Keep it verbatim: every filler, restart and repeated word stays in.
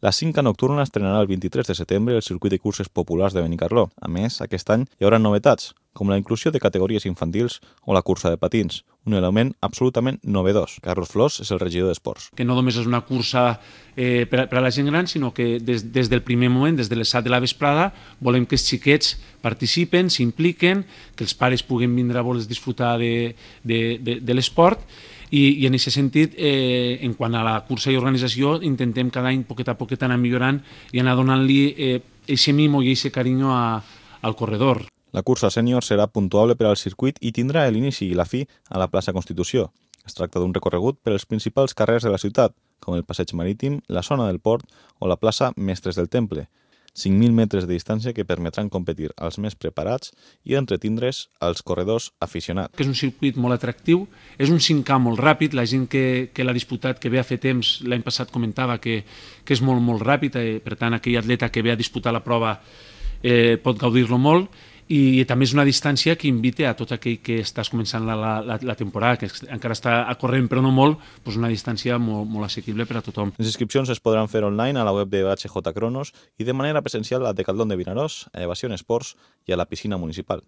La Cinca Nocturna estrenarà el vint-i-tres de setembre el circuit de curses populars de Benicarló. A més, aquest any hi haurà novetats, com la inclusió de categories infantils o la cursa de patins, un element absolutament novedós. Carlos Flors és el regidor d'Esports. Que no només és una cursa eh, per, a, per a la gent gran, sinó que des, des del primer moment, des de les set de la vesprada, volem que els xiquets participen, s'impliquen, que els pares puguen vindre a voler disfrutar de, de, de, de l'esport. I, i en aquest sentit, eh, en quant a la cursa i organització, intentem cada any poquet a poquet anar millorant i anar donant-li aquest eh, mimo i aquest carinyo a, al corredor. La cursa sènior serà puntuable per al circuit i tindrà l'inici i la fi a la plaça Constitució. Es tracta d'un recorregut per als principals carrers de la ciutat, com el Passeig Marítim, la zona del Port o la plaça Mestres del Temple. cinc mil metres de distància que permetran competir als més preparats i entretindre's als corredors aficionats. Que és un circuit molt atractiu, és un cinc K molt ràpid, la gent que, que l'ha disputat, que ve a fer temps, l'any passat comentava que, que és molt, molt ràpid, eh, per tant aquell atleta que ve a disputar la prova eh, pot gaudir-lo molt, i també és una distància que invita a tot aquell que estàs començant la, la, la temporada, que encara està a corrent però no molt, doncs una distància molt, molt assequible per a tothom. Les inscripcions es podran fer online a la web de H J Cronos i de manera presencial a Decathlon de Vinaròs, a Evasion Esports i a la piscina municipal.